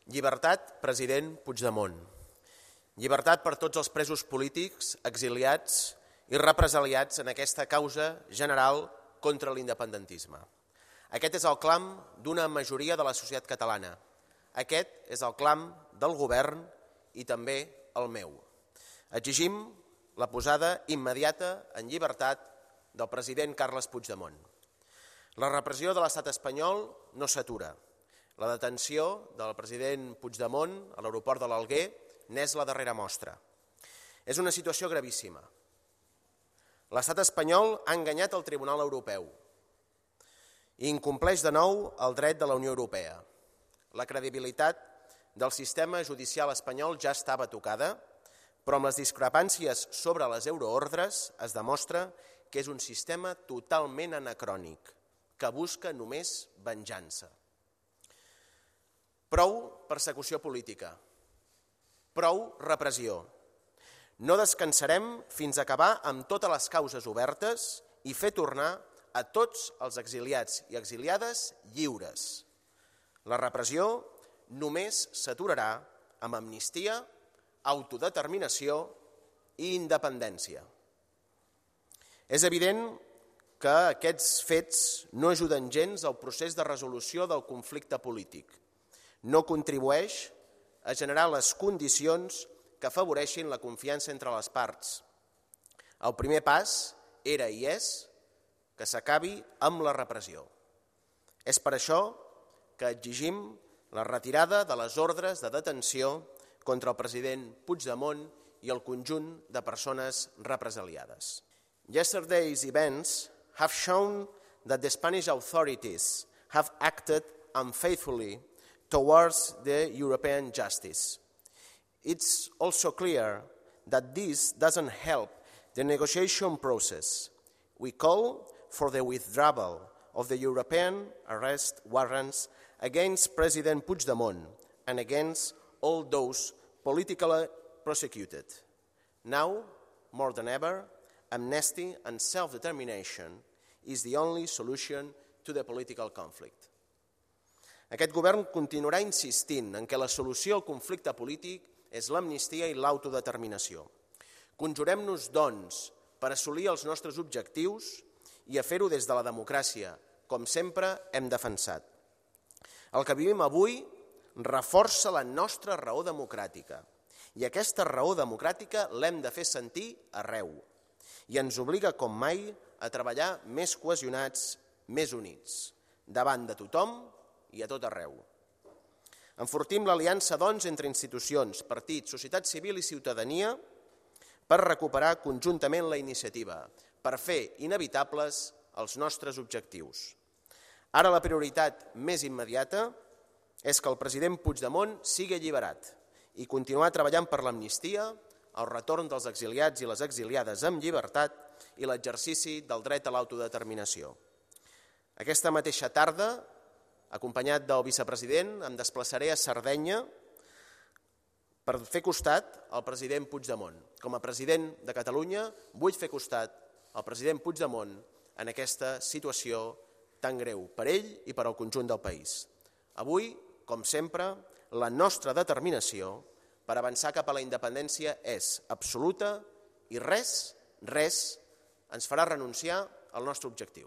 Llibertat, president Puigdemont. Llibertat per tots els presos polítics, exiliats i represaliats en aquesta causa general contra l'independentisme. Aquest és el clam d'una majoria de la societat catalana. Aquest és el clam del govern i també el meu. Exigim la posada immediata en llibertat del president Carles Puigdemont. La repressió de l'estat espanyol no s'atura. La detenció del president Puigdemont a l'aeroport de l'Alguer n'és la darrera mostra. És una situació gravíssima. L'estat espanyol ha enganyat el Tribunal Europeu i incompleix de nou el dret de la Unió Europea. La credibilitat del sistema judicial espanyol ja estava tocada, però amb les discrepàncies sobre les euroordres es demostra que és un sistema totalment anacrònic, que busca només venjança. Prou persecució política, prou repressió. No descansarem fins a acabar amb totes les causes obertes i fer tornar a tots els exiliats i exiliades lliures. La repressió només s'aturarà amb amnistia, autodeterminació i independència. És evident que aquests fets no ajuden gens al procés de resolució del conflicte polític. No contribueix a generar les condicions que afavoreixin la confiança entre les parts. El primer pas era i és que s'acabi amb la repressió. És per això que exigim la retirada de les ordres de detenció contra el president Puigdemont i el conjunt de persones represaliades. Yesterday's events have shown that the Spanish authorities have acted unfaithfully towards the European justice. It's also clear that this doesn't help the negotiation process. We call for the withdrawal of the European arrest warrants against President Puigdemont and against all those politically prosecuted. Now, more than ever, amnesty and self-determination is the only solution to the political conflict. Aquest govern continuarà insistint en que la solució al conflicte polític és l'amnistia i l'autodeterminació. Conjurem-nos, doncs, per assolir els nostres objectius i a fer-ho des de la democràcia, com sempre hem defensat. El que vivim avui reforça la nostra raó democràtica i aquesta raó democràtica l'hem de fer sentir arreu i ens obliga com mai a treballar més cohesionats, més units, davant de tothom i a tot arreu. Enfortim l'aliança, doncs, entre institucions, partits, societat civil i ciutadania per recuperar conjuntament la iniciativa, per fer inevitables els nostres objectius. Ara la prioritat més immediata és que el president Puigdemont sigui alliberat i continuar treballant per l'amnistia, el retorn dels exiliats i les exiliades amb llibertat i l'exercici del dret a l'autodeterminació. Aquesta mateixa tarda, acompanyat del vicepresident, em desplaçaré a Sardenya per fer costat al president Puigdemont. Com a president de Catalunya vull fer costat al president Puigdemont en aquesta situació tan greu per ell i per al conjunt del país. Avui, com sempre, la nostra determinació per avançar cap a la independència és absoluta i res ens farà renunciar al nostre objectiu.